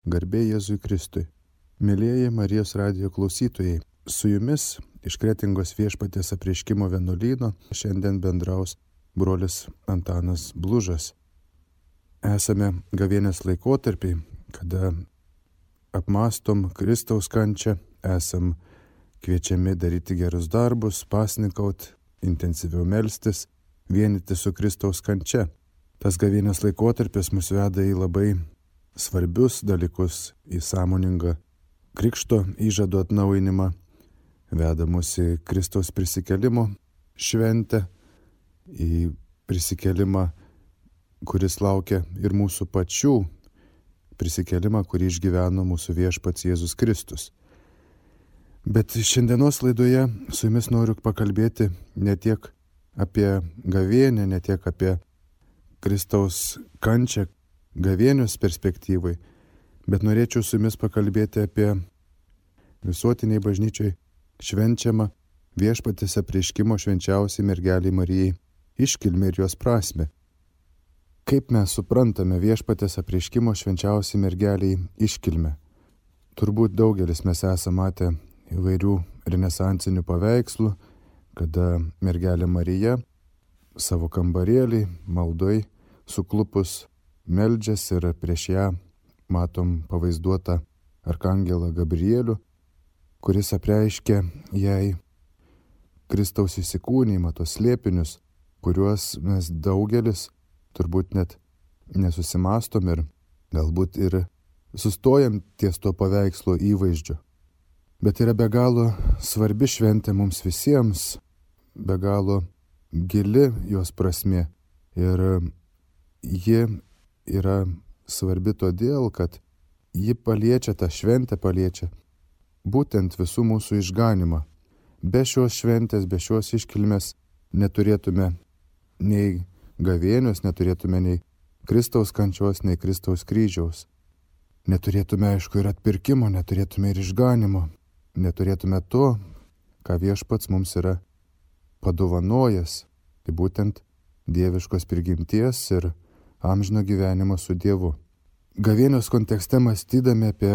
Garbė Jėzui Kristui. Mėlieji Marijos radijo klausytojai, su jumis iš Kretingos Viešpaties Apreiškimo vienuolyno šiandien bendraus brolis Antanas Blužas. Esame gavėnios laikotarpiai, kada apmąstom Kristaus kančią, esam kviečiami daryti gerus darbus, pasnikaut, intensyviau melstis, vienyti su Kristaus kančia. Tas gavėnios laikotarpis mus veda į labai svarbius dalykus, į sąmoningą krikšto įžado atnaujinimą, veda mus į Kristaus prisikėlimo šventę, į prisikėlimą, kuris laukia ir mūsų pačių, prisikėlimą, kurį išgyveno mūsų viešpats Jėzus Kristus. Bet šiandienos laidoje su jumis noriu pakalbėti ne tiek apie gavėnią, ne tiek apie Kristaus kančią gavėnios perspektyvai, bet norėčiau su jumis pakalbėti apie visuotiniai bažnyčiai švenčiamą Viešpaties Apreiškimo švenčiausiai mergelei Marijai iškilmę ir jos prasmę. Kaip mes suprantame Viešpaties Apreiškimo švenčiausiai mergeliai iškilmę? Turbūt daugelis mes esame matę įvairių renesansinių paveikslų, kada mergelė Marija savo kambarėlį maldoj suklupus meldžiasi ir prieš ją matom pavaizduotą arkangelą Gabrielių, kuris apreiškia jai Kristaus įsikūnijimą, tos slėpinius, kuriuos mes daugelis turbūt net nesusimastom ir galbūt ir sustojam ties to paveikslo įvaizdžiu. Bet yra be galo svarbi šventė mums visiems, be galo gili jos prasmė ir ji yra svarbi todėl, kad ji paliečia, tą šventę paliečia būtent visų mūsų išganimą. Be šios šventės, be šios iškilmės neturėtume nei gavėnios, neturėtume nei Kristaus kančios, nei Kristaus kryžiaus. Neturėtume, aišku, ir atpirkimo, neturėtume ir išganimo, neturėtume to, ką viešpats mums yra padovanojęs, tai būtent dieviškos prigimties ir amžino gyvenimo su Dievu. Gavėnios kontekste mąstydami apie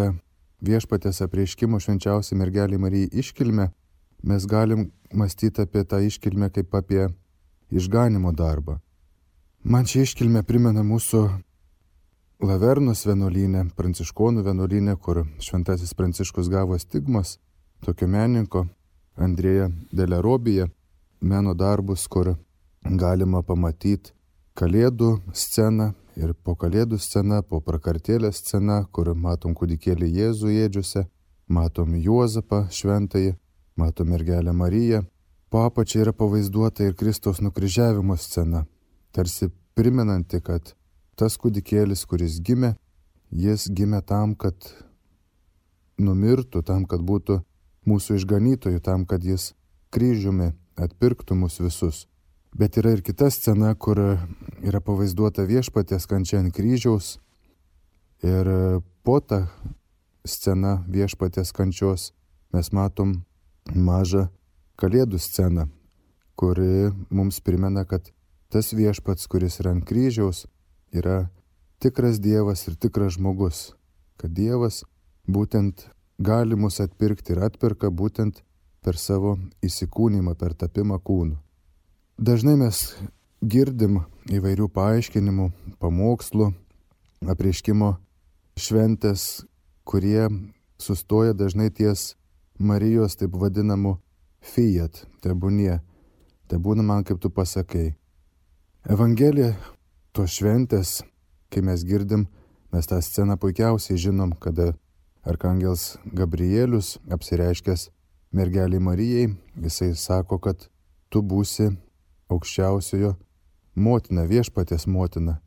Viešpaties Apreiškimo švenčiausiai mergelei Marijai iškilmę, mes galim mąstyti apie tą iškilmę kaip apie išganimo darbą. Man ši iškilmė primena mūsų Lavernos vienuolyne, pranciškonų vienuolyne, kur šventasis Pranciškus gavo stigmas, tokio menininko Andrėja Delerobija, meno darbus, kur galima pamatyti Kalėdų sceną ir po Kalėdų sceną, po prakartėlės sceną, kur matom kūdikėlį Jėzų ėdžiose, matom Juozapą šventąjį, matom mergelę Mariją. Po apačia yra pavaizduota ir Kristaus nukryžiavimo scena, tarsi primenanti, kad tas kūdikėlis, kuris gimė, jis gimė tam, kad numirtų, tam, kad būtų mūsų išganytojų, tam, kad jis kryžiumi atpirktų mus visus. Bet yra ir kita scena, kur yra pavaizduota viešpaties kančia ant kryžiaus ir po tą sceną viešpaties kančios mes matom mažą Kalėdų sceną, kuri mums primena, kad tas viešpats, kuris yra ant kryžiaus, yra tikras Dievas ir tikras žmogus, kad Dievas būtent gali mus atpirkti ir atpirka būtent per savo įsikūnymą, per tapimą kūnu. Dažnai mes girdim įvairių paaiškinimų, pamokslų, apreiškimo šventės, kurie sustoja dažnai ties Marijos taip vadinamų fiat, tebūnie, tebūna man kaip tu pasakai. Evangelija, tos šventės, kai mes girdim, mes tą sceną puikiausiai žinom, kada arkangelas Gabrielius apsireiškęs mergelei Marijai, jisai sako, kad tu būsi aukščiausiojo motina, viešpaties motina.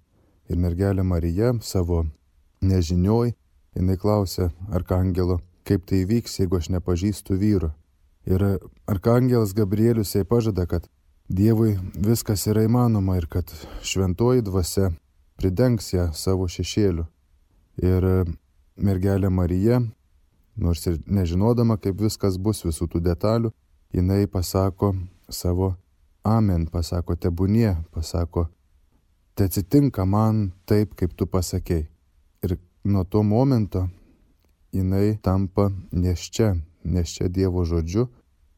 Ir mergelė Marija savo nežinioj, jinai klausia arkangelo, kaip tai vyks, jeigu aš nepažįstu vyro. Ir arkangelas Gabrielius jai pažada, kad Dievui viskas yra įmanoma ir kad šventoji dvasia pridengs ją savo šešėliu. Ir mergelė Marija, nors ir nežinodama, kaip viskas bus visų tų detalių, jinai pasako savo amen, pasako tebūnie, pasako te atsitinka man taip, kaip tu pasakei. Ir nuo to momento jinai tampa nėščia Dievo žodžiu,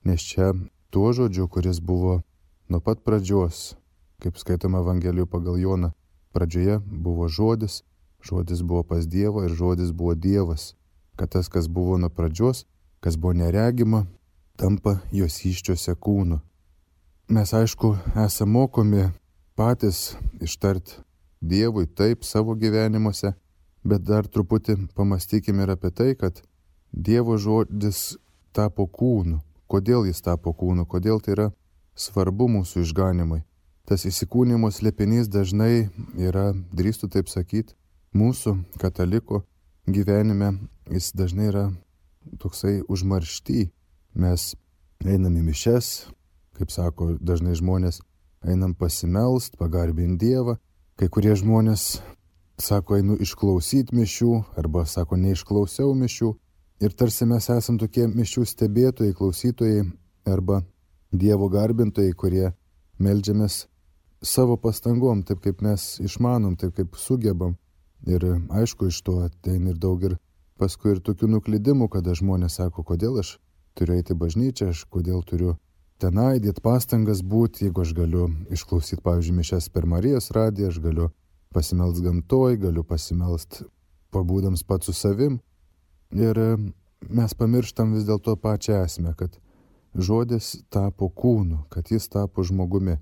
nėščia tuo žodžiu, kuris buvo nuo pat pradžios, kaip skaitoma Evangelijų pagal Joną. Pradžioje buvo žodis, žodis buvo pas Dievą ir žodis buvo Dievas. Kad tas, kas buvo nuo pradžios, kas buvo neregima, tampa jos įsčiose kūnu. Mes aišku esame mokomi patys ištart Dievui taip savo gyvenimuose, bet dar truputį pamastykime ir apie tai, kad Dievo žodis tapo kūnu. Kodėl jis tapo kūnu? Kodėl tai yra svarbu mūsų išganimui? Tas įsikūnijimo slėpinys dažnai yra, drįstu taip sakyti, mūsų kataliko gyvenime jis dažnai yra toksai užmaršty. Mes einam į mišias, kaip sako dažnai žmonės, einam pasimelst, pagarbinti Dievą. Kai kurie žmonės sako, einu išklausyti mišių, arba sako, neišklausiau mišių. Ir tarsi mes esam tokie mišių stebėtojai, klausytojai, arba Dievo garbintojai, kurie meldžiamės savo pastangom, taip kaip mes išmanom, taip kaip sugebam. Ir aišku, iš to ateina ir daug ir paskui ir tokių nuklydimų, kada žmonės sako, kodėl aš turiu eiti į bažnyčią, aš kodėl turiu tenai dėti pastangas būti, jeigu aš galiu išklausyti, pavyzdžiui, mišias per Marijos radiją, aš galiu pasimelst gamtoj, galiu pasimelst pabūdams pats su savim. Ir mes pamirštam vis dėlto pačią esmę, kad žodis tapo kūnu, kad jis tapo žmogumi.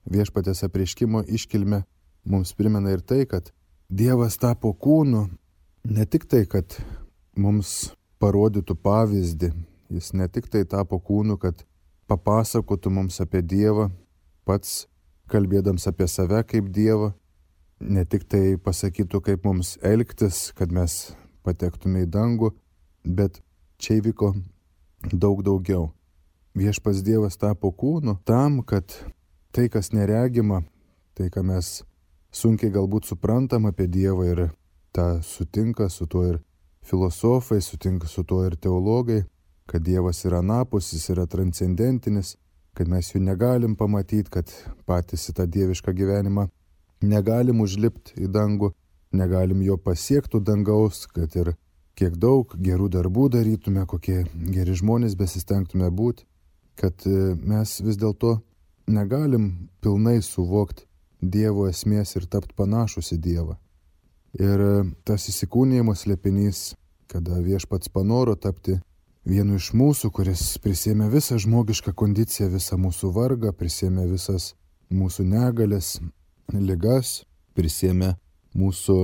Viešpaties apreiškimo iškilmė mums primena ir tai, kad Dievas tapo kūnu, ne tik tai, kad mums parodytų pavyzdį, jis ne tik tai tapo kūnu, kad papasakotų mums apie Dievą, pats kalbėdams apie save kaip Dievą, ne tik tai pasakytų, kaip mums elgtis, kad mes patektume į dangų, bet čia įvyko daug daugiau. Viešpats Dievas tapo kūnu tam, kad tai, kas neregima, tai, ką mes sunkiai galbūt suprantam apie Dievą ir tą sutinka su tuo ir filosofai, sutinka su tuo ir teologai, kad Dievas yra anapus, jis yra transcendentinis, kad mes jų negalim pamatyti, kad patys į tą dievišką gyvenimą negalim užlipti į dangų, negalim jo pasiektų dangaus, kad ir kiek daug gerų darbų darytume, kokie geri žmonės besistengtume būti, kad mes vis dėlto negalim pilnai suvokti Dievo esmės ir tapti panašus į Dievą. Ir tas įsikūnijimo slėpinys, kada viešpats panoro tapti vienu iš mūsų, kuris prisėmė visą žmogišką kondiciją, visą mūsų vargą, prisėmė visas mūsų negalės, ligas, prisėmė mūsų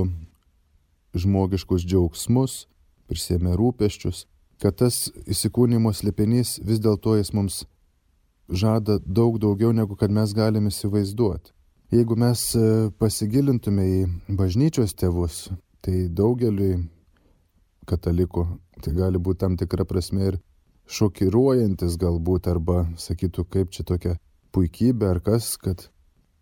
žmogiškus džiaugsmus, prisėmė rūpesčius, kad tas įsikūnijimo slėpinys vis dėlto jis mums žada daug daugiau, negu kad mes galime įsivaizduoti. Jeigu mes pasigilintume į bažnyčios tėvus, tai daugeliui katalikų tai gali būti tam tikra prasme ir šokiruojantis galbūt, arba sakytų, kaip čia tokia puikybė ar kas, kad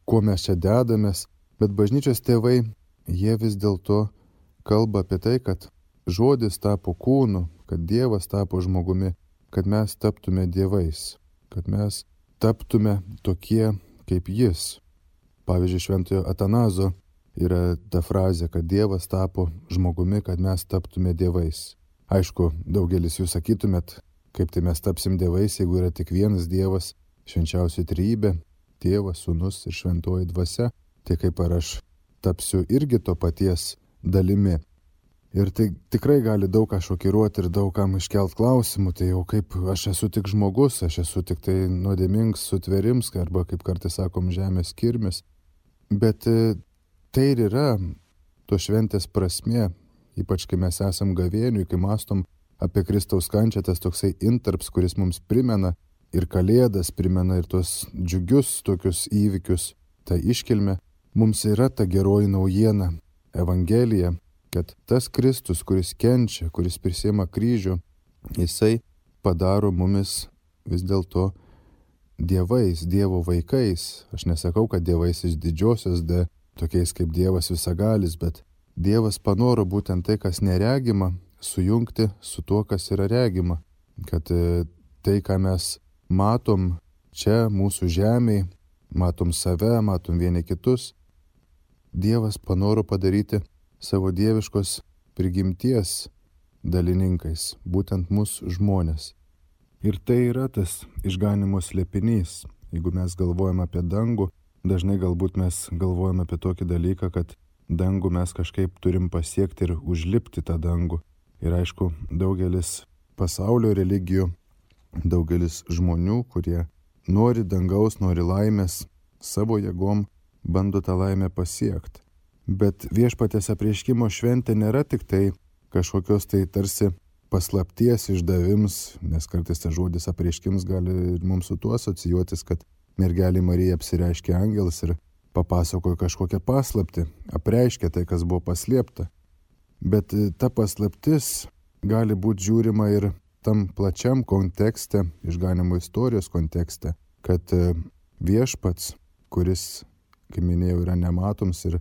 kuo mes čia dedamės. Bet bažnyčios tėvai, jie vis dėlto kalba apie tai, kad žodis tapo kūnu, kad Dievas tapo žmogumi, kad mes taptume dievais, kad mes taptume tokie kaip jis. Pavyzdžiui, šventojo Atanazo yra ta frazė, kad Dievas tapo žmogumi, kad mes taptume dievais. Aišku, daugelis jūs sakytumėt, kaip tai mes tapsim dievais, jeigu yra tik vienas Dievas, švenčiausioji trejybė, Tėvas, Sūnus ir šventoji dvasia, tai kaip ar aš tapsiu irgi to paties dalimi. Ir tai tikrai gali daug ką šokiruoti ir daug kam iškelt klausimų, tai jau kaip aš esu tik žmogus, aš esu tik tai nuodėmingas sutverims, arba kaip kartais sakom, žemės kirmis. Bet tai ir yra to šventės prasmė, ypač kai mes esam gavėniui, kai mąstom apie Kristaus kančią, tas toksai intarps, kuris mums primena ir kalėdas, primena ir tos džiugius tokius įvykius, tą iškilmę. Mums yra ta geroji naujiena, Evangelija, kad tas Kristus, kuris kenčia, kuris prisiima kryžių, jisai padaro mumis vis dėlto dievais, Dievo vaikais. Aš nesakau, kad dievais iš didžiosios D, tokiais kaip Dievas visagalis, bet Dievas panoro būtent tai, kas neregima, sujungti su tuo, kas yra regima. Kad tai, ką mes matom čia mūsų žemėje, matom save, matom vieni kitus, Dievas panoro padaryti savo dieviškos prigimties dalininkais, būtent mūsų žmonės. Ir tai yra tas išganimo slėpinys. Jeigu mes galvojam apie dangų, dažnai galbūt mes galvojam apie tokį dalyką, kad dangų mes kažkaip turim pasiekti ir užlipti tą dangų. Ir aišku, daugelis pasaulio religijų, daugelis žmonių, kurie nori dangaus, nori laimės, savo jėgom bando tą laimę pasiekti. Bet Viešpaties apreiškimo šventė nėra tik tai kažkokios tai tarsi paslapties išdavims, nes kartais tas žodis apreiškims gali ir mums su tuo asocijuotis, kad mergelė Marija apsireiškė angelas ir papasakojo kažkokią paslaptį, apreiškė tai, kas buvo paslėpta. Bet ta paslaptis gali būti žiūrima ir tam plačiam kontekste, išganimo istorijos kontekste, kad Viešpats, kuris, kaip minėjau, yra nematoms ir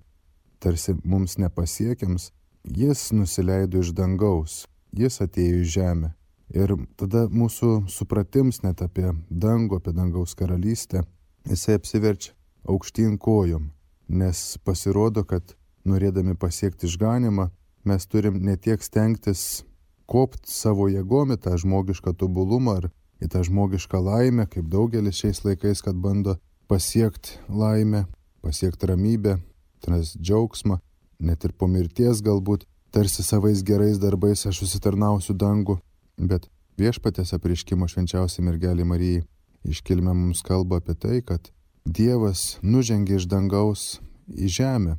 tarsi mums nepasiekiams, jis nusileido iš dangaus, jis atėjo į žemę. Ir tada mūsų supratims net apie dangų, apie dangaus karalystę, jisai apsiverčia aukštyn kojom, nes pasirodo, kad norėdami pasiekti išganimą, mes turim ne tiek stengtis kopti savo jėgom į tą žmogišką tobulumą ar į tą žmogišką laimę, kaip daugelis šiais laikais, kad bando pasiekti laimę, pasiekti ramybę, tas džiaugsmą, net ir po mirties galbūt, tarsi savais gerais darbais aš susitarnausiu dangų, bet Viešpaties apreiškimo švenčiausiai mergelei Marijai iškilmė mums kalba apie tai, kad Dievas nužengė iš dangaus į žemę,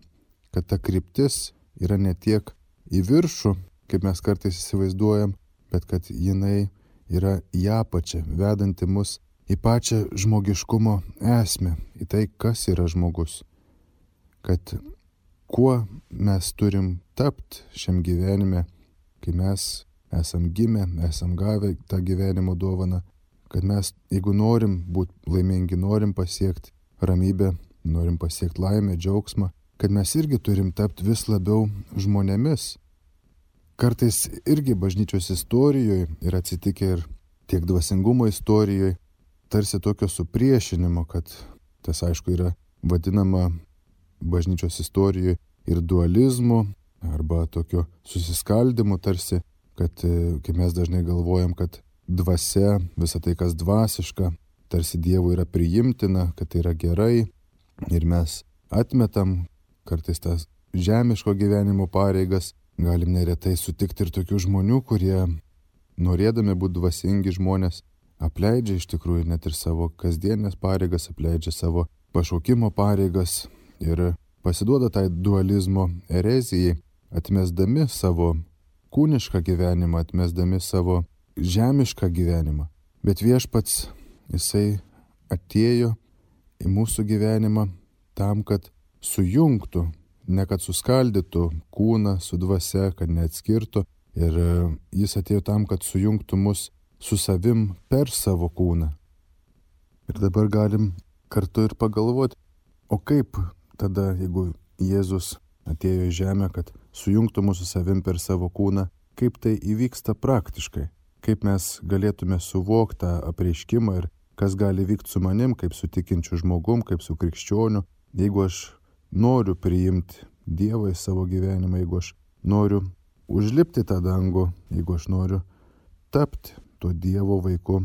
kad ta kryptis yra ne tiek į viršų, kaip mes kartais įsivaizduojam, bet kad jinai yra į apačią, vedanti mus į pačią žmogiškumo esmę, į tai, kas yra žmogus. Kad kuo mes turim tapti šiam gyvenime, kai mes esam gimę, esam gavę tą gyvenimo dovaną, kad mes, jeigu norim būti laimingi, norim pasiekti ramybę, norim pasiekti laimę, džiaugsmą, kad mes irgi turim tapti vis labiau žmonėmis. Kartais irgi bažnyčios istorijoje yra atsitikę ir tiek dvasingumo istorijoje, tarsi tokio supriešinimo, kad tas aišku yra vadinama bažnyčios istorijoje ir dualizmu arba tokio susiskaldimu, tarsi, kad kai mes dažnai galvojam, kad dvasia, visa tai, kas dvasiška, tarsi Dievui yra priimtina, kad tai yra gerai ir mes atmetam kartais tas žemiško gyvenimo pareigas. Galim neretai sutikti ir tokių žmonių, kurie norėdami būti dvasingi žmonės, apleidžia iš tikrųjų net ir savo kasdienės pareigas, apleidžia savo pašaukimo pareigas ir pasiduoda tai dualizmo erezijai, atmesdami savo kūnišką gyvenimą, atmesdami savo žemišką gyvenimą. Bet Viešpats, jisai atėjo į mūsų gyvenimą tam, kad sujungtų, ne kad suskaldytų kūną su dvasia, kad neatskirtų. Ir jis atėjo tam, kad sujungtų mus su savim per savo kūną. Ir dabar galim kartu ir pagalvoti, o kaip tada, jeigu Jėzus atėjo į žemę, kad sujungtų mūsų savim per savo kūną, kaip tai įvyksta praktiškai, kaip mes galėtume suvokti tą apreiškimą ir kas gali vykti su manim, kaip su tikinčiu žmogum, kaip su krikščioniu, jeigu aš noriu priimti Dievą į savo gyvenimą, jeigu aš noriu užlipti tą dangų, jeigu aš noriu tapti tuo Dievo vaiku,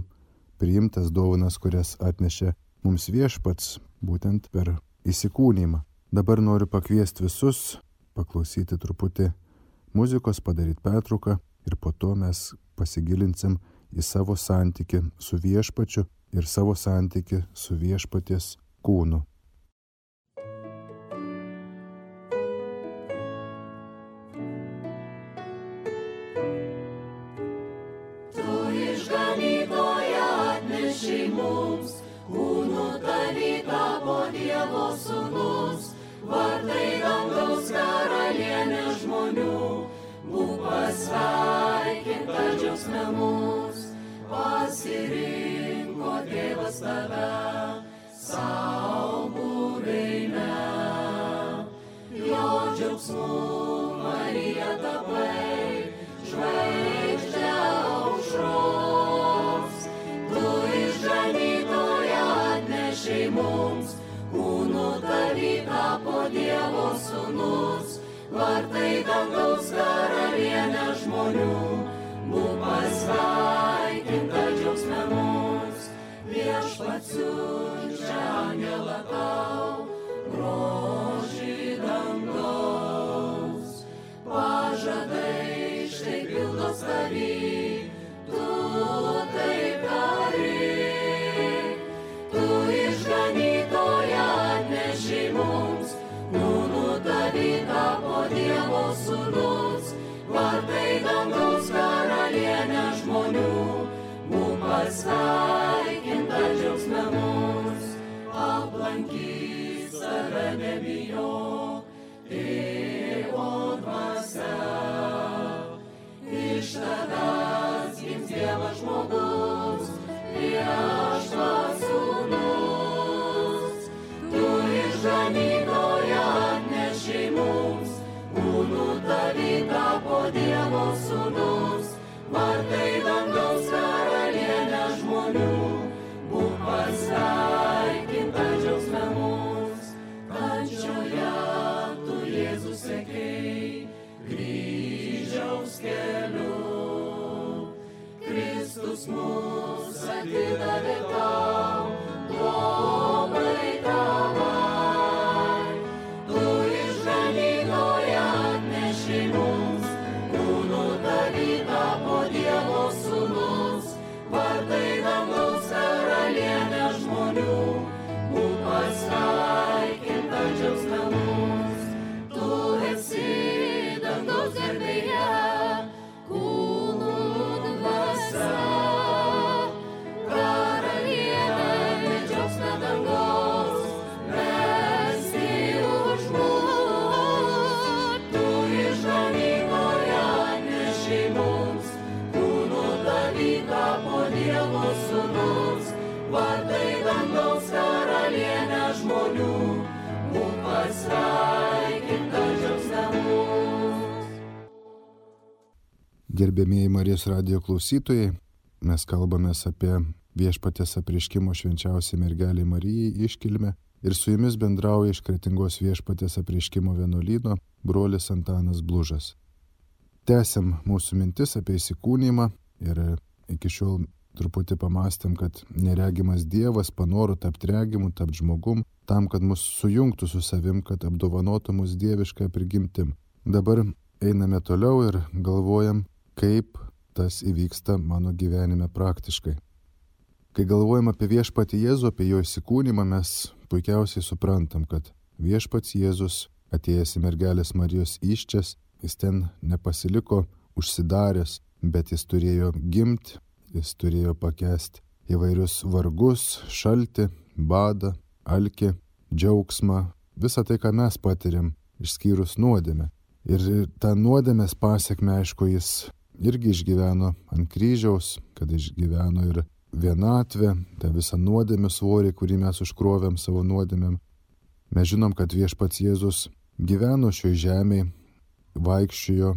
priimtas dovanas, kurias atnešė mums Viešpats, būtent per įsikūnymą. Dabar noriu pakviesti visus, paklausyti truputį muzikos, padaryti pertrauką ir po to mes pasigilinsim į savo santykį su Viešpačiu ir savo santykį su Viešpaties kūnu. Mums, kūnų dalyta po Dievo sūnus, vardai dangaus karalienė žmonių, būk pasveikinta džiaugsme mus, pasirinko Dievas tave, sau buveinę. Jo džiaugsmu Marija tapai, žvaigždė aušros. Mums, kūnų dalyta po Dievo sūnus, vardai dangaus karalienė žmonių, būk pasveikinta džiaugsme mums, viešpats siunčia angelą tau, grožį dangaus. Pažadai štai pildos tavy, tu taip dari, tu išganytoją atneši mums, kūnų tavy tapo Dievo sūnus, vartai dangaus karalienė žmonių, būk pasveikinta džiaugsme mus, aplankys tave nebijok, Tėvo dvasia. Iš tavęs gims Dievas žmogus, viešpats sūnus, tu išganytoją atneši mums, kūnų tavy tapo Dievo sūnus, vartai dangaus karalienė žmonių, būk pasveikinta džiaugsme mus, kančioje tu Jėzus sekei, kryžiaus keliu. Kristus mus atidavė tau, globai tavai, tu išganytoją atneši mums, kūnų tavy tapo Dievo sūnus, vartai dangaus karalienė žmonių, būk pasveikinta džiaugsme mums, tu esi dangaus garbėje, kūnų dvasia, karalienė džiaugsme dangaus, mesti už mus, tu išganytoją atneši mums, kūnų tavy tapo Dievo sūnus, vartai dangaus karalienė žmonių, būk pasveikinta džiaugsme mums. Gerbėmieji Marijos radijo klausytojai, mes kalbamės apie Viešpaties apreiškimo švenčiausiai mergelei Marijai iškilmę ir su jumis bendrauja iš Kretingos Viešpaties apreiškimo vienuolyno brolis Antanas Blužas. Tęsiam mūsų mintis apie įsikūnijimą ir iki šiol truputį pamastėm, kad neregimas Dievas panoro tapti regimu, tapti žmogum, tam, kad mus sujungtų su savim, kad apdovanotų mus dievišką prigimtim. Dabar einame toliau ir galvojam, kaip tas įvyksta mano gyvenime praktiškai. Kai galvojam apie viešpatį Jėzų, apie jo įsikūnymą, mes puikiausiai suprantam, kad viešpats Jėzus, atėjęs į mergelės Marijos įsčias, jis ten nepasiliko užsidaręs, bet jis turėjo gimti, jis turėjo pakęsti įvairius vargus, šaltį, badą, alkį, džiaugsmą, visą tai, ką mes patiriam, išskyrus nuodėmę. Ir tą nuodėmės pasiekmę, aišku, jis irgi išgyveno ant kryžiaus, kad išgyveno ir vienatvę, tą visą nuodėmių svorį, kurį mes užkrovėm savo nuodėmėm. Mes žinom, kad viešpats Jėzus gyveno šioje žemėje, vaikščiojo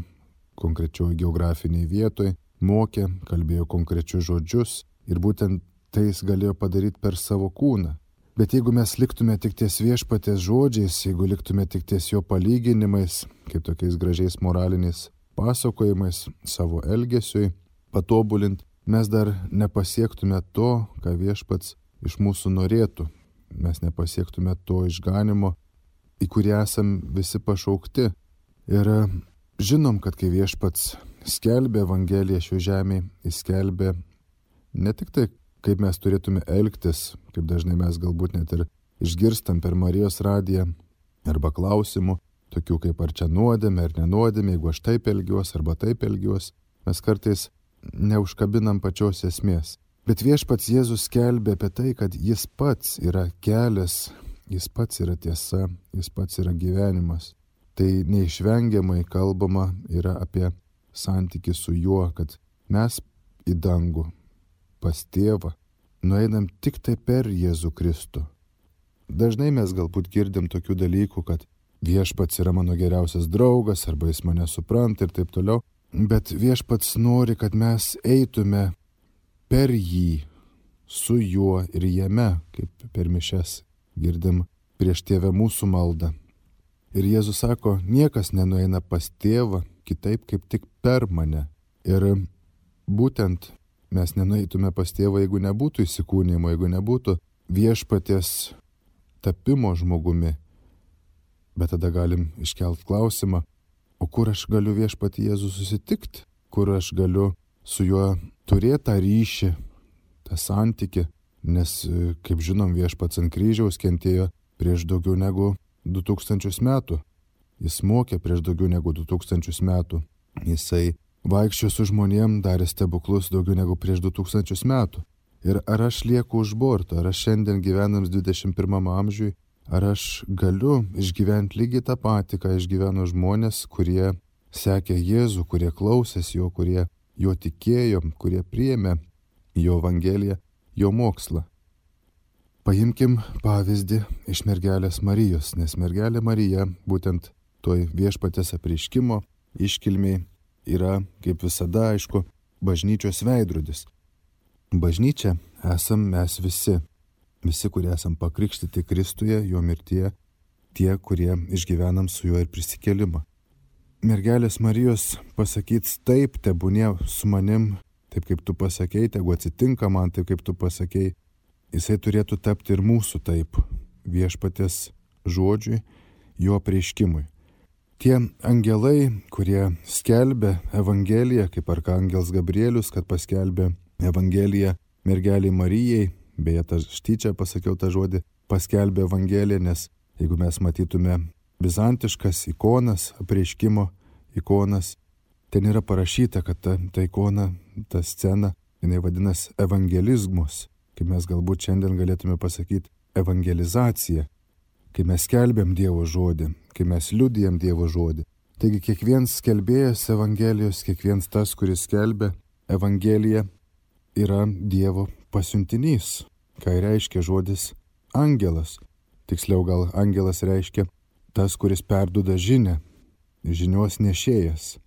konkrečioje geografiniai vietoje, mokė, kalbėjo konkrečius žodžius ir būtent tai jis galėjo padaryti per savo kūną. Bet jeigu mes liktume tik ties viešpaties žodžiais, jeigu liktume tik ties jo palyginimais, kaip tokiais gražiais moraliniais pasakojimais savo elgesiui patobulint, mes dar nepasiektume to, ką viešpats iš mūsų norėtų. Mes nepasiektume to išganimo, į kurį esam visi pašaukti. Ir žinom, kad kai viešpats skelbė Evangeliją šio žemėje, jis skelbė ne tik tai, kaip mes turėtume elgtis, kaip dažnai mes galbūt net ir išgirstam per Marijos radiją, arba klausimų, tokių kaip ar čia nuodėmė ar nenuodėmė, jeigu aš taip elgiuos arba taip elgiuos, mes kartais neužkabinam pačios esmės. Bet viešpats Jėzus skelbė apie tai, kad jis pats yra kelias, jis pats yra tiesa, jis pats yra gyvenimas. Tai neišvengiamai kalbama yra apie santykį su juo, kad mes į dangų pas tėvą nueinam tik tai per Jėzų Kristų. Dažnai mes galbūt girdim tokių dalykų, kad viešpats yra mano geriausias draugas, arba jis mane supranta ir taip toliau. Bet viešpats nori, kad mes eitume per jį, su juo ir jame, kaip per mišias girdim prieš tėvę mūsų maldą. Ir Jėzus sako, niekas nenueina pas tėvą kitaip kaip tik per mane. Ir būtent mes nenueitume pas tėvą, jeigu nebūtų įsikūnijimo, jeigu nebūtų viešpaties tapimo žmogumi. Bet tada galim iškelt klausimą, o kur aš galiu viešpatį Jėzų susitikti, kur aš galiu su juo turėti tą ryšį, tą santykį, nes, kaip žinom, viešpats ant kryžiaus kentėjo prieš daugiau negu 2000 metų. Jis mokė prieš daugiau negu 2000 metų. Jisai vaikščiojo su žmonėm, darė stebuklus daugiau negu prieš 2000 metų. Ir ar aš lieku už borto, ar aš šiandien gyvenams 21 amžiui, ar aš galiu išgyventi lygiai tą patį, ką išgyveno žmonės, kurie sekė Jėzų, kurie klausės jo, kurie jo tikėjo, kurie priėmė jo evangeliją, jo mokslą. Paimkim pavyzdį iš mergelės Marijos, nes mergelė Marija būtent toj viešpaties apreiškimo iškilmiai yra, kaip visada, aišku, bažnyčios veidrodis. Bažnyčia esam mes visi, kurie esam pakrikštyti Kristuje, jo mirtyje, tie, kurie išgyvenam su juo ir prisikėlimą. Mergelės Marijos pasakyt taip, tebūnie su manim, taip kaip tu pasakei, tegu atsitinka man taip, kaip tu pasakei, jisai turėtų tapti ir mūsų taip, viešpaties žodžiui, jo apreiškimui. Tie angelai, kurie skelbė Evangeliją, kaip arkangelas Gabrielius, kad paskelbė Evangeliją mergeliai Marijai, beje, aš tyčia pasakiau tą žodį, paskelbė Evangeliją, nes jeigu mes matytume bizantiškas ikonas, apreiškimo ikonas, ten yra parašyta, kad ta ikona, ta scena, jinai vadinasi evangelizmus, kaip mes galbūt šiandien galėtume pasakyti evangelizacija, kai mes skelbėm Dievo žodį, kai mes liudijam Dievo žodį. Taigi kiekvienas skelbėjas Evangelijos, kiekvienas tas, kuris skelbia Evangeliją, yra Dievo pasiuntinys. Ką reiškia žodis angelas? Tiksliau gal angelas reiškia tas, kuris perduoda žinią, žinios nešėjas.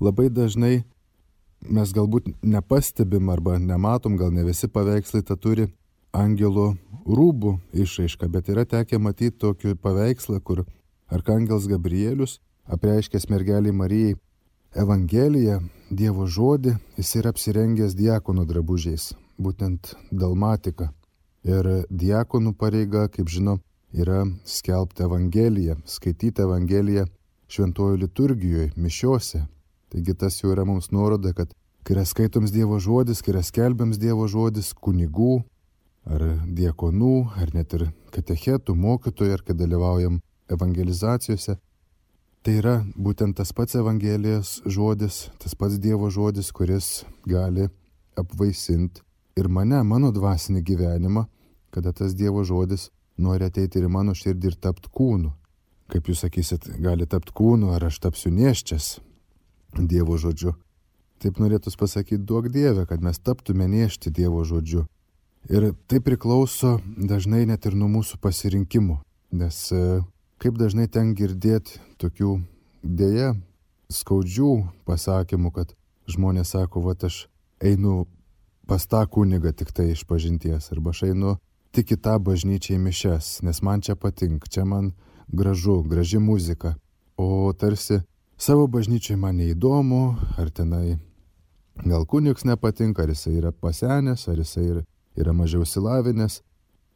Labai dažnai mes galbūt nepastebim arba nematom, gal ne visi paveikslai tą turi angelo rūbų išraišką, bet yra tekę matyti tokį paveikslą, kur arkangelas Gabrielius, apreiškęs mergeliai Marijai Evangeliją, Dievo žodį, jis yra apsirengęs diakonų drabužiais, būtent dalmatika. Ir diakonų pareiga, kaip žinom, yra skelbti Evangeliją, skaityti Evangeliją šventojų liturgijoje, mišiose. Taigi tas jau yra mums nuoroda, kad kai yra skaitoms Dievo žodis, kai yra skelbiams Dievo žodis kunigų, ar diakonų, ar net ir katechetų, mokytojų, ar kai dalyvaujam evangelizacijose, tai yra būtent tas pats Evangelijos žodis, tas pats Dievo žodis, kuris gali apvaisinti ir mane, mano dvasinį gyvenimą, kada tas Dievo žodis nori ateiti ir į mano širdį ir tapti kūnu. Kaip jūs sakysit, gali tapti kūnu, ar aš tapsiu nėščias Dievo žodžiu. Taip norėtųs pasakyti, duok Dieve, kad mes taptume nėšti Dievo žodžiu. Ir tai priklauso dažnai net ir nuo mūsų pasirinkimų, nes kaip dažnai ten girdėti tokių dėja skaudžių pasakymų, kad žmonės sako, va aš einu pas tą kunigą tik tai iš pažinties, arba aš einu tik į tą bažnyčią į mišias, nes man čia patinka, čia man graži muzika, o tarsi savo bažnyčiai man neįdomu, ar tenai gal kunigs nepatinka, ar jisai yra pasenęs, ar jisai yra mažiau išsilavinęs,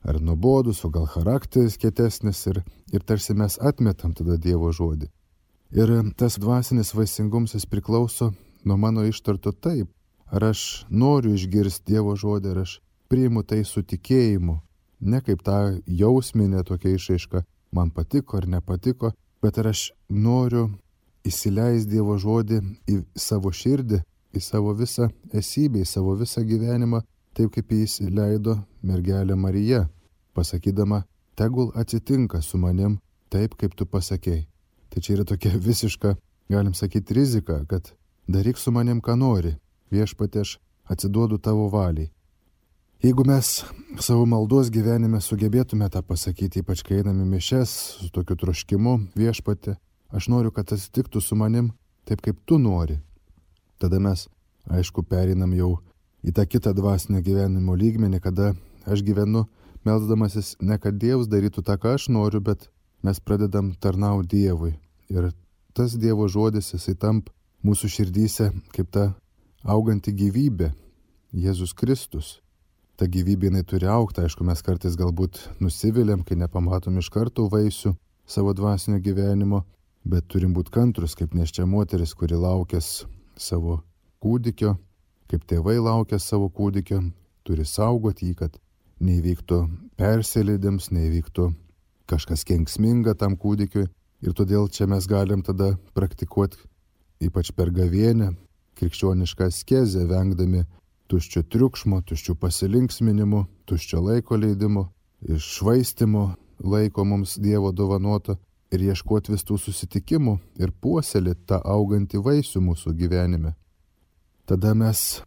ar nuobodus, o gal charakteris kietesnis ir tarsi mes atmetam tada Dievo žodį. Ir tas dvasinis vaisingumas jis priklauso nuo mano ištarto taip, ar aš noriu išgirsti Dievo žodį, ar aš priimu tai su tikėjimu, ne kaip tą jausminę tokia išraiška, man patiko ar nepatiko, bet ar aš noriu įsileisti Dievo žodį į savo širdį, į savo visą esybę, į savo visą gyvenimą, taip kaip jis leido mergelė Marija, pasakydama, tegul atsitinka su manim taip, kaip tu pasakei. Tai čia yra tokia visiška, galim sakyti, rizika, kad daryk su manim, ką nori, viešpatie, aš atsiduodu tavo valiai. Jeigu mes savo maldos gyvenime sugebėtume tą pasakyti, ypač kai einame mišias su tokiu troškimu, viešpatie, aš noriu, kad atsitiktų su manim taip, kaip tu nori. Tada mes, aišku, pereinam jau į tą kitą dvasinio gyvenimo lygmenį, kada aš gyvenu melsdamasis ne kad Dievas darytų tą, ką aš noriu, bet mes pradedam tarnauti Dievui. Ir tas Dievo žodis, jisai tampa mūsų širdyse kaip ta auganti gyvybė, Jėzus Kristus. Ta gyvybė jinai turi augti, aišku, mes kartais galbūt nusiviliam, kai nepamatom iš karto vaisių savo dvasinio gyvenimo, bet turim būti kantrus, kaip nėščia moteris, kuri laukės savo kūdikio, kaip tėvai laukės savo kūdikio, turi saugoti jį, kad neįvyktų persileidimas, neįvyktų kažkas kenksminga tam kūdikiui. Ir todėl čia mes galim tada praktikuoti, ypač per gavėnią, krikščionišką askezę, vengdami tuščio triukšmo, tuščių pasilinksminimų, tuščio laiko leidimo, iššvaistimo laiko mums Dievo dovanoto ir ieškoti vis tų susitikimų ir puoselėti tą augantį vaisių mūsų gyvenime. Tada mes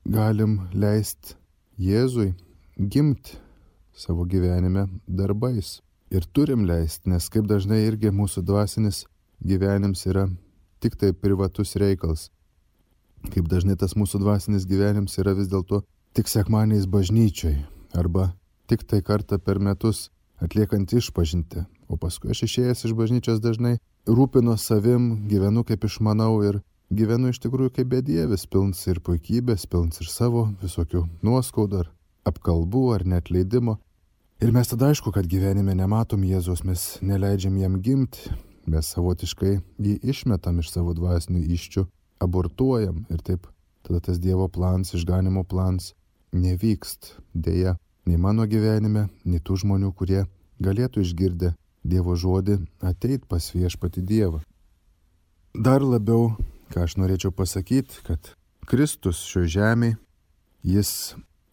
galim leisti Jėzui gimti savo gyvenime darbais. Ir turim leisti, nes kaip dažnai irgi mūsų dvasinis gyvenims yra tik tai privatus reikalas. Kaip dažnai tas mūsų dvasinis gyvenims yra vis dėlto tik sekmadieniais bažnyčioj arba tik tai kartą per metus atliekant išpažintį. O paskui aš išėjęs iš bažnyčios dažnai rūpinu savim, gyvenu kaip išmanau ir gyvenu iš tikrųjų kaip bedievis, pilns ir puikybės, pilns ir savo visokių nuoskaudų ar apkalbų ar net leidimo. Ir mes tada aišku, kad gyvenime nematom Jėzaus, mes neleidžiam jam gimti, mes savotiškai jį išmetam iš savo dvasinių iščių, abortuojam ir taip tada tas Dievo plans, išganimo plans nevykst. Deja, nei mano gyvenime, nei tų žmonių, kurie galėtų išgirdę Dievo žodį ateit pas Viešpatį Dievą. Dar labiau, ką aš norėčiau pasakyti, kad Kristus šioje žemėje, jis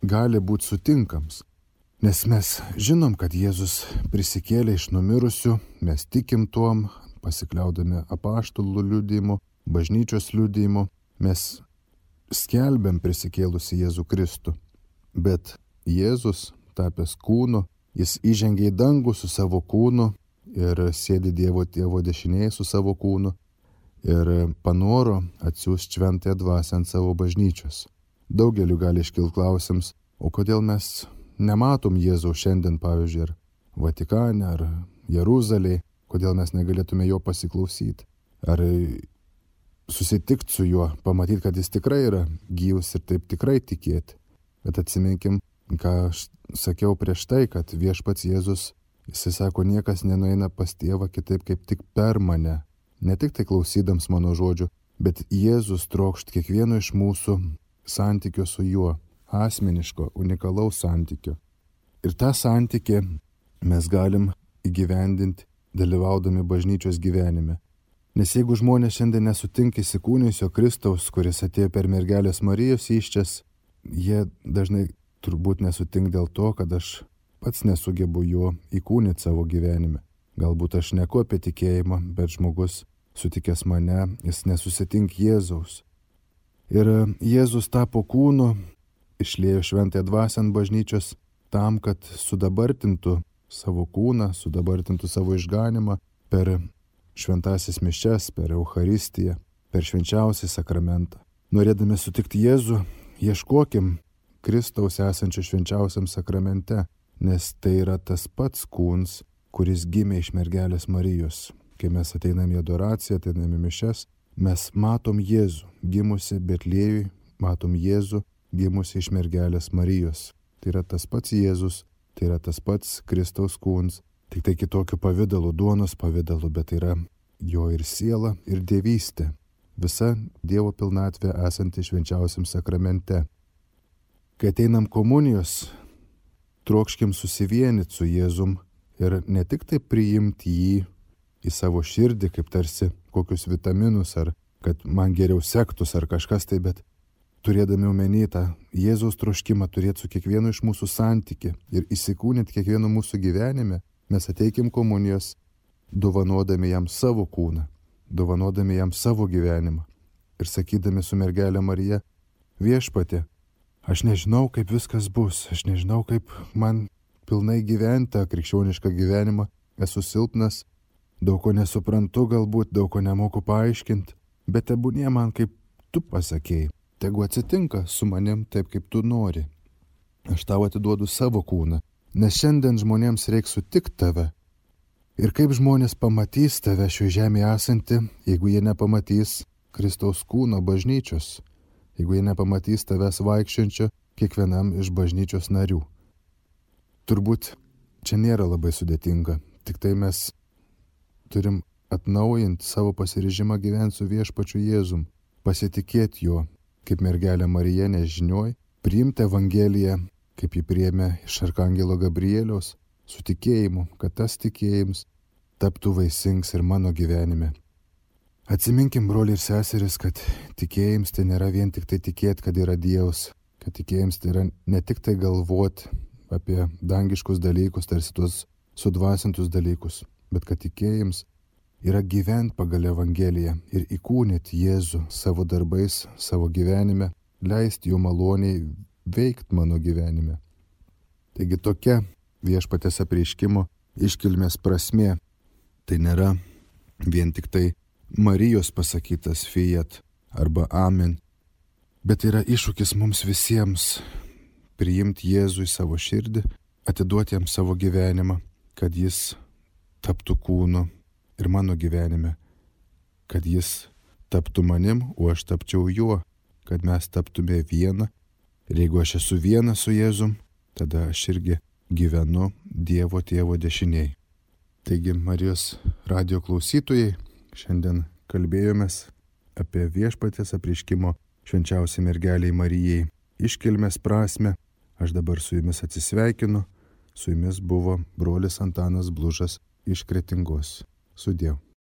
gali būti sutinkams. Nes mes žinom, kad Jėzus prisikėlė iš numirusių, mes tikim tuom, pasikliaudami apaštalų liudijimu, bažnyčios liudijimu, mes skelbiam prisikėlusi Jėzų Kristų. Bet Jėzus, tapęs kūnu, jis įžengė į dangų su savo kūnu ir sėdi Dievo tėvo dešinėje su savo kūnu ir panoro atsiųsti šventąją dvasią ant savo bažnyčios. Daugeliu gali iškilti klausims, o kodėl mes nematom Jėzaus šiandien, pavyzdžiui, ar Vatikane, ar Jeruzalėje, kodėl mes negalėtume jo pasiklausyti, ar susitikti su juo, pamatyti, kad jis tikrai yra gyvas ir taip tikrai tikėti. Bet atsiminkim, ką aš sakiau prieš tai, kad Viešpats Jėzus, jisai sako, niekas nenueina pas tėvą kitaip kaip tik per mane. Ne tik tai klausydams mano žodžių, bet Jėzus trokšt kiekvieno iš mūsų santykio su juo, asmeniško, unikalaus santykio. Ir tą santykį mes galim įgyvendinti, dalyvaudami bažnyčios gyvenime. Nes jeigu žmonės šiandien nesutinka įsikūnijusio Kristaus, kuris atėjo per mergelės Marijos įsčias, jie dažnai turbūt nesutink dėl to, kad aš pats nesugebu jo įkūnyti savo gyvenime. Galbūt aš neku apie tikėjimą, bet žmogus sutikęs mane, jis nesusitink Jėzaus. Ir Jėzus tapo kūnu, išliejo šventąją dvasią ant bažnyčios tam, kad sudabartintų savo kūną, sudabartintų savo išganimą per šventasis mišias, per Eucharistiją, per švenčiausią sakramentą. Norėdami sutikti Jėzų, ieškokim Kristaus esančio švenčiausiam sakramente, nes tai yra tas pats kūnas, kuris gimė iš mergelės Marijos. Kai mes ateinam į adoraciją, ateinam į mišias, mes matom Jėzų, gimusi Betliejui, matom Jėzų, gimusi iš mergelės Marijos. Tai yra tas pats Jėzus, tai yra tas pats Kristaus kūnas, tik tai kitokiu pavidalu, duonos pavidalu, bet tai yra jo ir siela, ir dievystė. Visa Dievo pilnatvė esanti švenčiausiam sakramente. Kai ateinam komunijos, trokškim susivienyti su Jėzum ir ne tik tai priimti jį į savo širdį, kaip tarsi kokius vitaminus, ar kad man geriau sektus, ar kažkas tai, bet turėdami omeny tą Jėzaus troškimą turėti su kiekvienu iš mūsų santykį ir įsikūnyti kiekvienu mūsų gyvenime, mes ateikim komunijos, dovanodami jam savo kūną, dovanodami jam savo gyvenimą ir sakydami su mergelė Marija, Viešpatie, aš nežinau, kaip viskas bus, aš nežinau, kaip man pilnai gyventi tą krikščionišką gyvenimą, esu silpnas, daug ko nesuprantu galbūt, daug ko nemoku paaiškinti, bet tebūnie man kaip tu pasakėjai, tegu atsitinka su manim taip, kaip tu nori. Aš tau atiduodu savo kūną, nes šiandien žmonėms reikia sutikti tave. Ir kaip žmonės pamatys tave šioje žemėje esantį, jeigu jie nepamatys Kristaus kūno bažnyčios, jeigu jie nepamatys tavęs vaikščiančio kiekvienam iš bažnyčios narių. Turbūt čia nėra labai sudėtinga, tik tai mes turim atnaujinti savo pasiryžimą gyventi su viešpačiu Jėzum, pasitikėti juo, kaip mergelė Marija nežinioj, priimti Evangeliją, kaip jį priėmė iš arkangelo Gabrieliaus, su tikėjimu, kad tas tikėjimas taptų vaisings ir mano gyvenime. Atsiminkim, broliai ir seseris, kad tikėjimas tai nėra vien tik tai tikėti, kad yra Dievas, kad tikėjimas tai yra ne tik tai galvoti apie dangiškus dalykus, tarsi tuos sudvasintus dalykus, bet kad tikėjimas yra gyventi pagal Evangeliją ir įkūnyti Jėzų savo darbais, savo gyvenime, leisti jo maloniai veikti mano gyvenime. Taigi tokia viešpaties apreiškimo iškilmės prasmė. Tai nėra vien tik tai Marijos pasakytas fiat arba amen, bet yra iššūkis mums visiems priimti Jėzų į savo širdį, atiduoti jam savo gyvenimą, kad jis taptų kūnu ir mano gyvenime, kad jis taptų manim, o aš tapčiau juo, kad mes taptume viena. Ir jeigu aš esu vienas su Jėzum, tada aš irgi gyvenu Dievo Tėvo dešiniai. Taigi, Marijos radijo klausytojai, šiandien kalbėjomės apie viešpaties apreiškimo švenčiausiai mergeliai Marijai iškilmės prasmę. Aš dabar su jumis atsisveikinu. Su jumis buvo brolis Antanas Blužas iš Kretingos. Sudiev.